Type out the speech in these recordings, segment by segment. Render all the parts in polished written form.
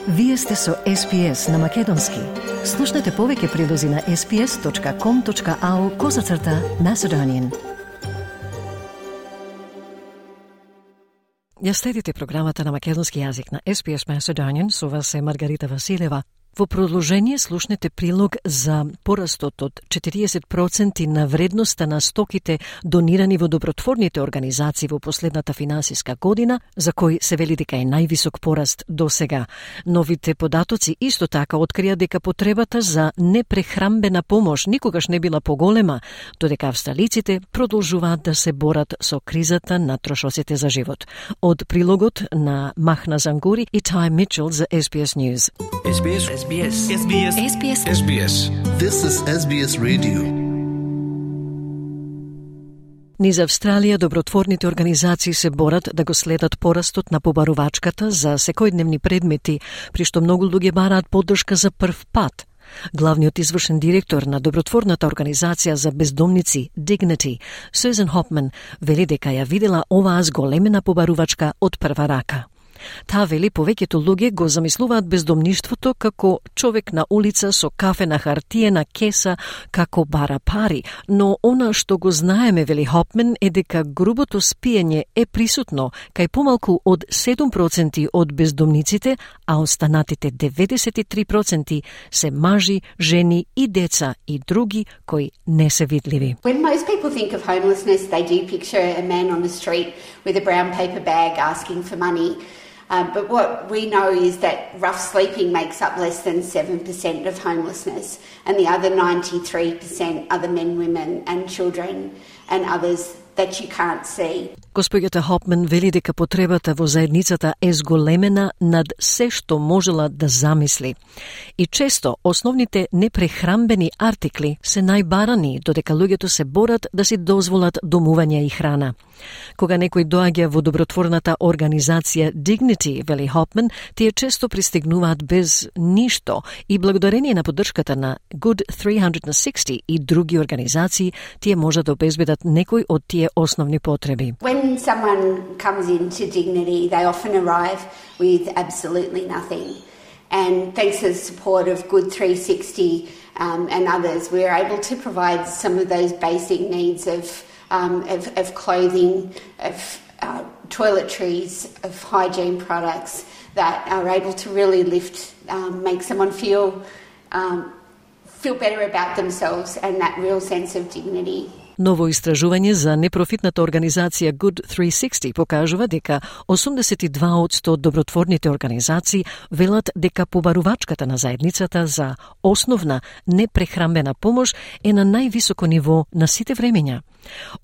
Вие сте со SPS на Македонски. Слушнете повеќе прилози на sps.com.au/Macedonian. Ја следите програмата на македонски јазик на SPS Macedonian, со вас е Маргарита Василева. Во продолжение слушнете прилог за порастот од 40% на вредноста на стоките донирани во добротворните организации во последната финансиска година, за кој се вели дека е највисок пораст до сега. Новите податоци исто така открија дека потребата за непрехрамбена помош никогаш не била поголема, додека австралиците продолжуваат да се борат со кризата на трошоците за живот. Од прилогот на Махна Зангури и Тај Мичел за SBS News. SBS. This is SBS Radio. Низ Австралија добротворните организации се борат да го следат порастот на побарувачката за секојдневни предмети, при што многу луѓе бараат поддршка за прв пат. Главниот извршен директор на добротворната организација за бездомници Dignity, Susan Hopman, вели дека ја видела оваа зголемена побарувачка од прва рака. Таа вели повеќето луѓе го замислуваат бездомништвото како човек на улица со кафе на хартиена кеса како бара пари, но она што го знаеме, вели Хопмен, е дека грубото спиење е присутно кај помалку од 7% од бездомниците, а останатите 93% се мажи, жени и деца и други кои не се видливи. When most people think of homelessness, they do picture a man on the street with a brown paper bag asking for money. But what we know is that rough sleeping makes up less than 7% of homelessness, and the other 93% are the men, women and children and others that you can't see. Госпоѓата Хопмен вели дека потребата во заедницата е зголемена над се што можела да замисли. И често основните непрехрамбени артикли се најбарани, додека луѓето се борат да си дозволат домување и храна. Кога некој доаѓа во добротворната организација Dignity, вели Хопмен, тие често пристигнуваат без ништо и благодарение на поддршката на Good 360 и други организации, тие можат да обезбедат некој од тие основни потреби. When someone comes into Dignity, they often arrive with absolutely nothing. And thanks to the support of Good 360 and others, we're able to provide some of those basic needs of clothing, of toiletries, of hygiene products that are able to really lift, make someone feel better about themselves and that real sense of dignity. Ново истражување за непрофитната организација Good 360 покажува дека 82% од добротворните организации велат дека побарувачката на заедницата за основна непрехрамбена помош е на највисоко ниво на сите времења.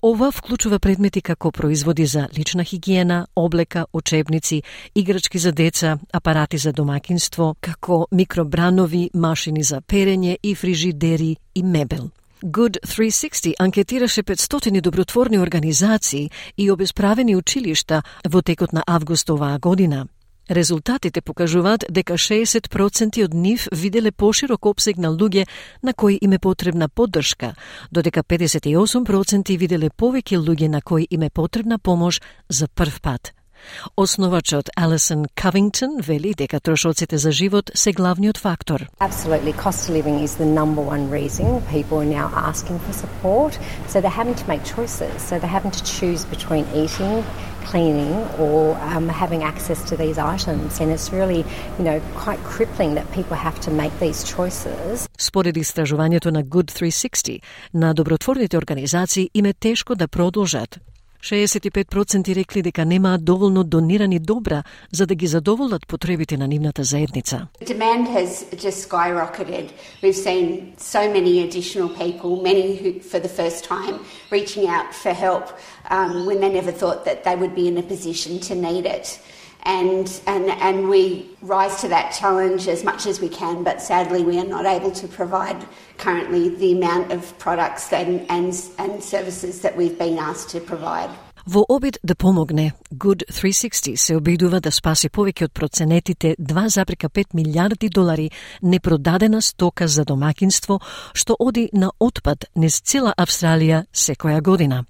Ова вклучува предмети како производи за лична хигиена, облека, учебници, играчки за деца, апарати за домаќинство, како микробранови, машини за перење и фрижидери и мебел. Good 360 анкетираше 500 добротворни организации и обесправени училишта во текот на август оваа година. Резултатите покажуваат дека 60% од нив виделе поширок опсег на луѓе на кои им е потребна поддршка, додека 58% виделе повеќе луѓе на кои им е потребна помош за прв пат. Основачот Alison Covington вели дека трошоците за живот се главниот фактор. Absolutely, cost of living is the number one reason people are now asking for support. So they're having to make choices. So they're having to choose between eating, cleaning, or having access to these items. And it's really, quite crippling that people have to make these choices. Според истражувањето на Good 360, на добротворните организации им е тешко да продолжат. 65% рекли дека немаат доволно донирани добра за да ги задоволат потребите на нивната заедница. The demand has just skyrocketed. We've seen so many additional people, many who for the first time reaching out for help when they never thought that they would be in a position to need it. And we rise to that challenge as much as we can, but sadly we are not able to provide currently the amount of products and services that we've been asked to provide. Во обид да помогне, Good 360 се обидува да спаси повеќе од проценетите 2,5 милиарди долари непродадена стока за домакинство, што оди на отпад низ цела Австралија секоја година.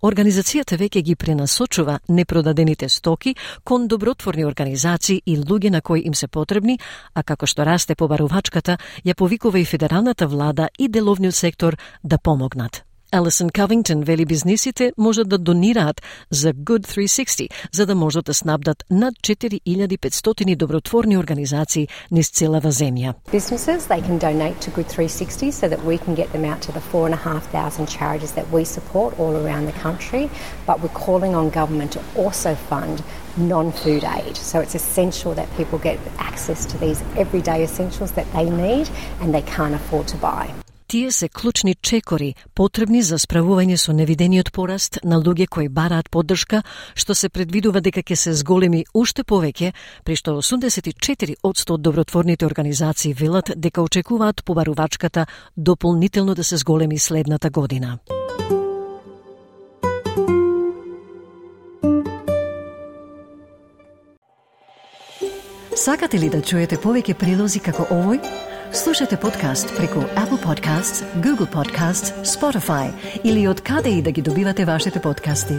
Организацијата веќе ги пренасочува непродадените стоки кон добротворни организации и луѓе на кои им се потребни, а како што расте побарувачката, ја повикува и федералната влада и деловниот сектор да помогнат. Алисон Covington вели бизнисите можат да донираат за Good 360, за да можат да снабдат над 4500 добротворни организации низ целава земја. Businesses, they can donate to Good 360 so that we can get them out to the 4,500 charities that we support all around the country, but we're calling on government to also fund non-food aid. So it's essential that people get access to these everyday essentials that they need and they can't afford to buy. Тие се клучни чекори, потребни за справување со невидениот пораст на луѓе кои бараат поддршка, што се предвидува дека ќе се зголеми уште повеќе, при што 84% од добротворните организации велат дека очекуваат побарувачката дополнително да се зголеми следната година. Сакате ли да чуете повеќе прилози како овој? Слушате подкаст преку Apple Podcasts, Google Podcasts, Spotify или од каде и да ги добивате вашите подкасти.